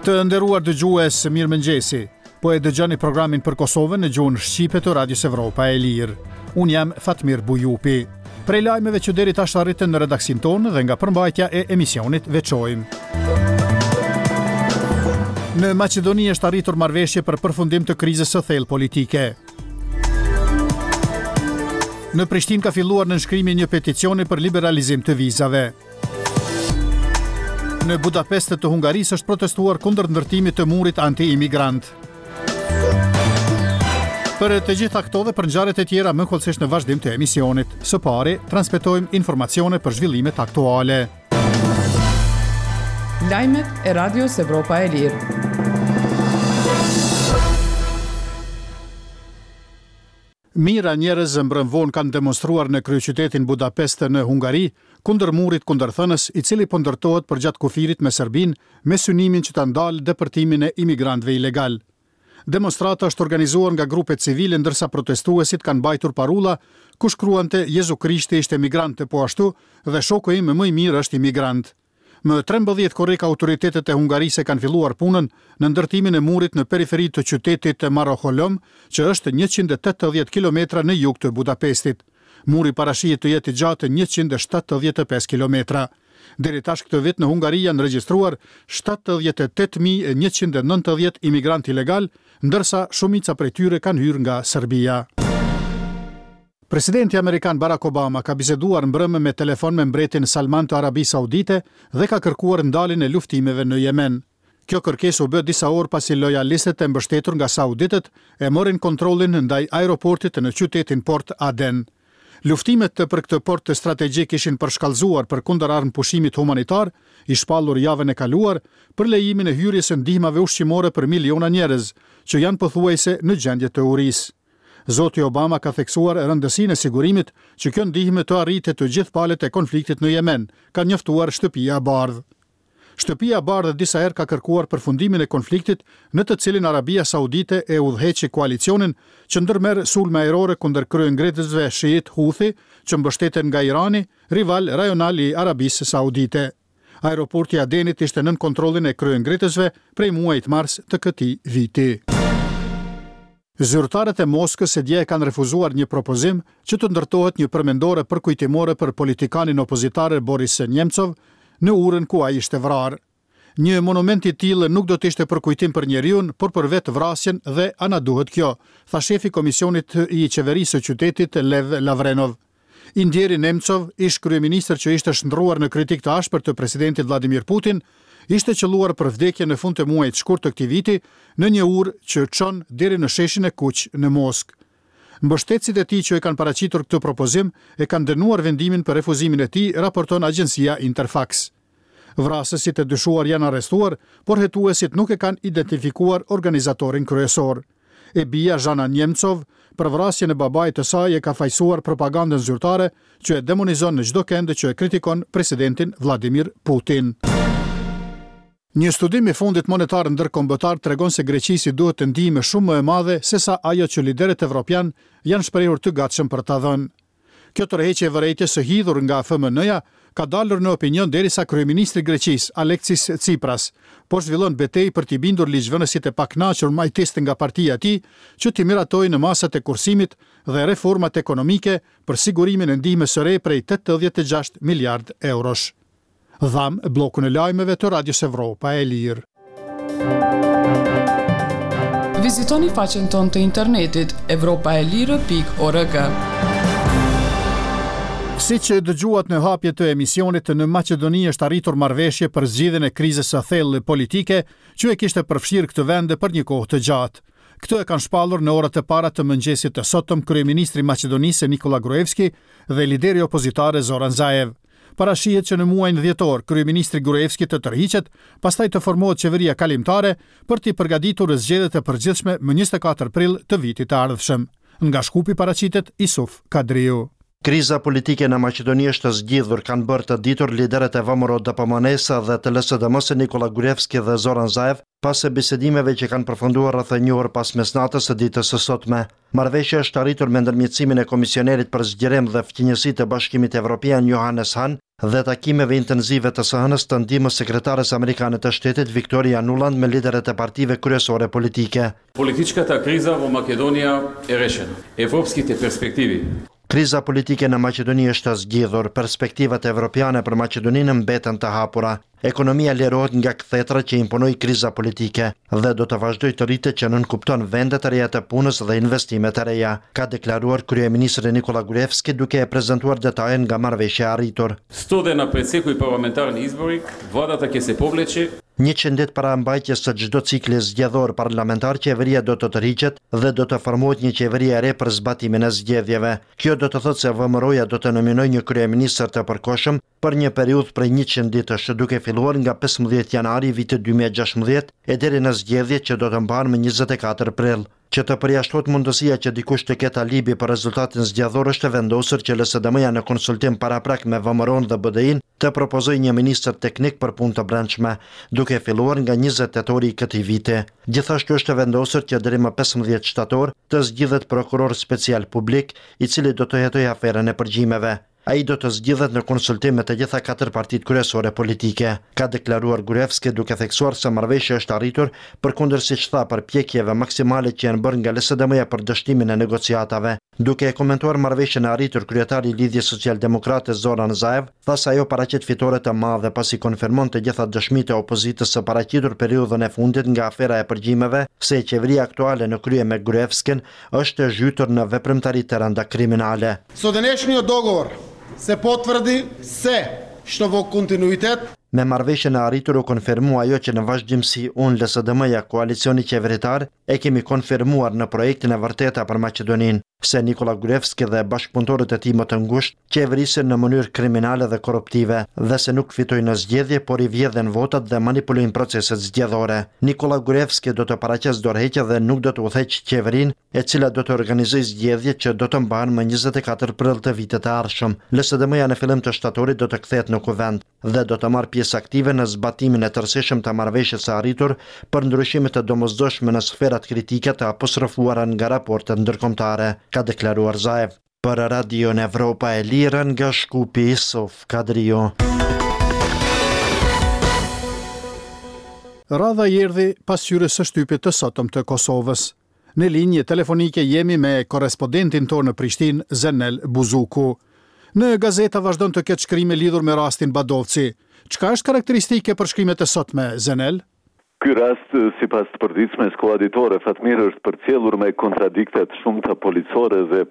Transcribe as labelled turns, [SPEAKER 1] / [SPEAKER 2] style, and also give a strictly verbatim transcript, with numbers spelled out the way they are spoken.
[SPEAKER 1] Të nderuar dëgjues, mirëmëngjesi. Po e dëgjoni programin për Kosovën në gjuhën shqipe të Radios Evropa e Lirë. Unë jam Fatmir Bujupi. Prej lajmeve që deri tash arritën në redaksinë tonë dhe nga përmbajtja e emisionit veçojmë. Në Maqedoni është arritur marrëveshje për përfundim të krizës së thellë politike. Në Prishtinë ka filluar nënshkrimi i një peticioni për liberalizim të vizave. Në Budapest të Hungarisë është protestuar kundër ndërtimit të murit anti-imigrant. Për të gjitha këto dhe për ngjarjet e tjera më hollësisht në vazhdim të emisionit. Së pari, transmetojmë informacione për zhvillimet aktuale.
[SPEAKER 2] Lajmet e Radios Evropa e Lirë.
[SPEAKER 1] Mijëra njerëz mbrëm vonë kanë demonstruar në kryeqytetin Budapest në Hungari kundër murit kundërthënës, i cili po ndërtohet përgjatë kufirit me Serbinë me synimin që ta ndalë depërtimin e imigrantëve ilegal. Demonstrata është organizuar nga grupe civile ndërsa protestuesit kanë mbajtur parulla ku shkruante Jezu Krishti ishte migrant e po ashtu dhe shoku im më i mirë është imigrant. Më trembëdhjetë korrik autoritetet e Hungarisë kanë filluar punën në ndërtimin e murit në periferi të qytetit të Maroholom, që është njëqind e tetëdhjetë kilometra në jug të Budapestit. Muri parashihet të jetë i gjatë njëqind e shtatëdhjetë e pesë kilometra. Deri tash këtë vit në Hungari janë regjistruar shtatëdhjetë e tetë mijë e njëqind e nëntëdhjetë imigrantë ilegal, ndërsa shumica prej tyre kanë hyrë nga Serbia. Presidenti amerikan Barack Obama ka biseduar mbrëmë me telefon me mbretin Salman të Arabisë Saudite dhe ka kërkuar ndaljen e luftimeve në Jemen. Kjo kërkesë u bë disa orë pasi lojalistët e mbështetur nga sauditët e morën kontrollin ndaj aeroportit në qytetin Port Aden. Luftimet për këtë port strategjik ishin përshkallëzuar për kundër armëpushimit humanitar, i shpallur javën e kaluar, për lejimin e hyrjes së ndihmave ushqimore për miliona njerëz, që janë pothuajse në gjendje të urisë. Zoti Obama ka theksuar rëndësinë e sigurimit që kjo ndihmë të arrite të gjithë palët e konfliktit në Jemen, ka njoftuar Shtëpia e Bardhë. Shtëpia e Bardhë disa herë ka kërkuar përfundimin e konfliktit në të cilin Arabia Saudite e udhëheqi koalicionin që ndërmerr sulme ajrore kundër kryengritësve shiit Houthi, që mbështeten nga Irani, rival rajonal i Arabisë Saudite. Aeroporti i Adenit ishte nën kontrollin e kryengritësve prej muajit mars të këtij viti. Zyrtarët e Moskës e dje kanë refuzuar një propozim që të ndërtohet një përmendore përkujtimore për politikanin opozitar Boris Nemtsov në urën ku ai ishte vrarë. Një monument i tillë nuk do të ishte përkujtim për njeriun, por për vetë vrasjen dhe a na duhet kjo, tha shefi i komisionit i qeverisë së qytetit Lev Lavrenov. I ndjeri Nemtsov, ish kryeministër që ishte shndruar në kritik të ashpër të presidentit Vladimir Putin, ishte qelluar për vdekje në fund të muajit shkurt të këtij viti në një urë që çon deri në sheshin e Kuq në Moskë. Mbështetësit e tij që e kanë paraqitur këtë propozim e kanë dënuar vendimin për refuzimin e tij, raporton agjencia Interfax. Vrasësit e dyshuar janë arrestuar, por hetuesit nuk e kanë identifikuar organizatorin kryesor. E bija Zhana Nemtsov për vrasjen e babait të saj e ka fajsuar propagandën zyrtare që e demonizon në çdo kënd që e kritikon presidentin Vladimir Putin. Një studim i Fondit Monetar Ndërkombëtar tregon se Greqisë i duhet të ndihmë shumë më e madhe se sa ajo që liderët evropian janë shprehur të gatshëm për ta dhënë. Kjo tërheqje e vërejtjes së hidhur nga F M N-ja ka dalur në opinion derisa kryeministri i Greqisë, Alexis Tsipras, po zhvillon betejë për t'i bindur ligjvënësit e pakënaqur majtist nga partia e tij që t'i miratojnë masat e kursimit dhe reformat ekonomike për sigurimin e ndihmës së re prej tetëdhjetë e gjashtë miliard eurosh. Dham bllokun e lajmeve të Radios Evropa e Lirë.
[SPEAKER 2] Vizitoni faqen tonë të internetit evropa e lirë pikë org.
[SPEAKER 1] Si që dëgjuat në hapje të emisionit, në Maqedoni është arritur marrëveshje për zgjidhjen e krizës së thellë politike që e kishte përfshirë këtë vend për një kohë të gjatë. Këtë e kanë shpallur në orët e para të mëngjesit të sotëm kryeministri i Maqedonisë Nikola Gruevski dhe lideri opozitar Zoran Zaev. Parashihet që në muajin dhjetor kryeministri Gruevski të tërhiqet, pastaj të formohet qeveria kalimtare për t'i përgatitur zgjedhjet e përgjithshme më njëzet e katër prill të vitit të ardhshëm. Nga Shkupi paraqitet Isuf Kadriu.
[SPEAKER 3] Kriza politike në Maqedoni është zgjidhur, kanë bërë të ditur liderët e V M R O D P M N-së dhe të L S D M-së Nikola Gruevski dhe Zoran Zaev, pas bisedimeve që kanë përfunduar rreth një orë pas mesnatës së ditës së sotme. Marrëveshja është arritur me ndërmjetësimin e Komisionerit për Zgjerim dhe Fqinjësi të Bashkimit Evropian Johannes Hahn dhe takimeve intensive të së hënës të ndihmës sekretares amerikane të shtetit Victoria Nuland me liderët e partive kryesore politike.
[SPEAKER 4] Политичката криза во Македонија е решена. Европските перспективи
[SPEAKER 3] Kriza politike në Maqedoni është zgjidhur, perspektivat evropiane për Maqedoninë mbeten të hapura. Ekonomia lirohet nga kthetra që imponoi kriza politike dhe do të vazhdojë të rritet që nënkupton vende të reja të punës dhe investime të reja, ka deklaruar kryeministri Nikola Gruevski duke e prezantuar detaje nga marrëveshja e arritur.
[SPEAKER 4] Сто дена пред секој парламентарни избори, владата ќе се повлече
[SPEAKER 3] Njëqind ditë para mbajtjes së çdo cikli zgjedhor parlamentar, qeveria do të tërhiqet dhe do të formohet një qeveri e re për zbatimin e zgjedhjeve. Kjo do të thotë se V M R O-ja do të nominojë një kryeministër të përkohshëm për një periudhë prej njëqind ditësh, duke filluar nga pesëmbëdhjetë janari i vitit dy mijë e gjashtëmbëdhjetë e deri në zgjedhjet që do të mbahen më njëzet e katër prill. Që të përjashtohet mundësia që dikush të ketë alibi për rezultatin zgjedhor, është e vendosur që L S D M-ja në konsultim paraprak me V M R O-n dhe B D I-n të propozojë një ministër teknik për punë të brendshme, duke filluar nga njëzet tetori i këtij viti. Gjithashtu është e vendosur që deri më pesëmbëdhjetë shtator të zgjidhet prokuror special publik, i cili do të hetojë aferën e përgjimeve. Ai do të zgjidhet në konsultim me të gjitha katër partitë kryesore politike, ka deklaruar Gruevski, duke theksuar se marrëveshja është arritur përkundër, siç tha, përpjekjeve maksimale që janë bërë nga L S D M-ja për dështimin e negociatave. Duke e komentuar marrëveshjen e arritur, kryetari i Lidhjes Socialdemokrate Zoran Zaev tha se ajo paraqet fitore të madhe, pasi konfirmon të gjitha dëshmitë e opozitës së paraqitur periudhën e fundit nga afera e përgjimeve se qeveria aktuale në krye me Gruevskin është e zhytur në veprimtari të rënda kriminale.
[SPEAKER 5] Со денешниот договор се потврди се што во континуитет
[SPEAKER 3] Me marrëveshjen e arritur u konfirmua ajo që në vazhdimësi unë, L S D M-ja, koalicioni qeveritar, e kemi konfirmuar në projektin e vërteta për Maqedoninë, se Nikola Gruevski dhe bashkëpunëtorët e tij më të ngushtë qeverisin në mënyrë kriminale dhe korruptive dhe se nuk fitojnë në zgjedhje, por i vjedhin votat dhe manipulojnë proceset zgjedhore. Nikola Gruevski do të paraqesë dorëheqje dhe nuk do të udhëheqë qeverinë, e cila do të organizojë zgjedhjet që do të mbahen më njëzet e katër prill të vitit të ardhshëm. L S D M-ja në fillim të shtatorit do të kthehet në kuvend dhe do të marrë pjesë aktive në zbatimin e tërësishëm të marrëveshjes së arritur për ndryshime të domosdoshme në sferat kritike të apostrofuara nga raportet ndërkombëtare, ka deklaruar Zaev. Për Radion Evropa e Lirë nga Shkupi, Isuf Kadriu.
[SPEAKER 1] Radha i erdhi pasqyrës së shtypit të sotëm të Kosovës. Në linjë telefonike jemi me korrespondentin tonë në Prishtinë, Zenel Buzuku. Në gazeta vazhdon të ketë shkrime lidhur me rastin Badovci. Çka është karakteristike për shkrimet e sotme, Zenel?
[SPEAKER 6] Ky rast, sipas të përditshmes Koha Ditore, Fatmir, është përcjellur me kontradiktet shumta policore dhe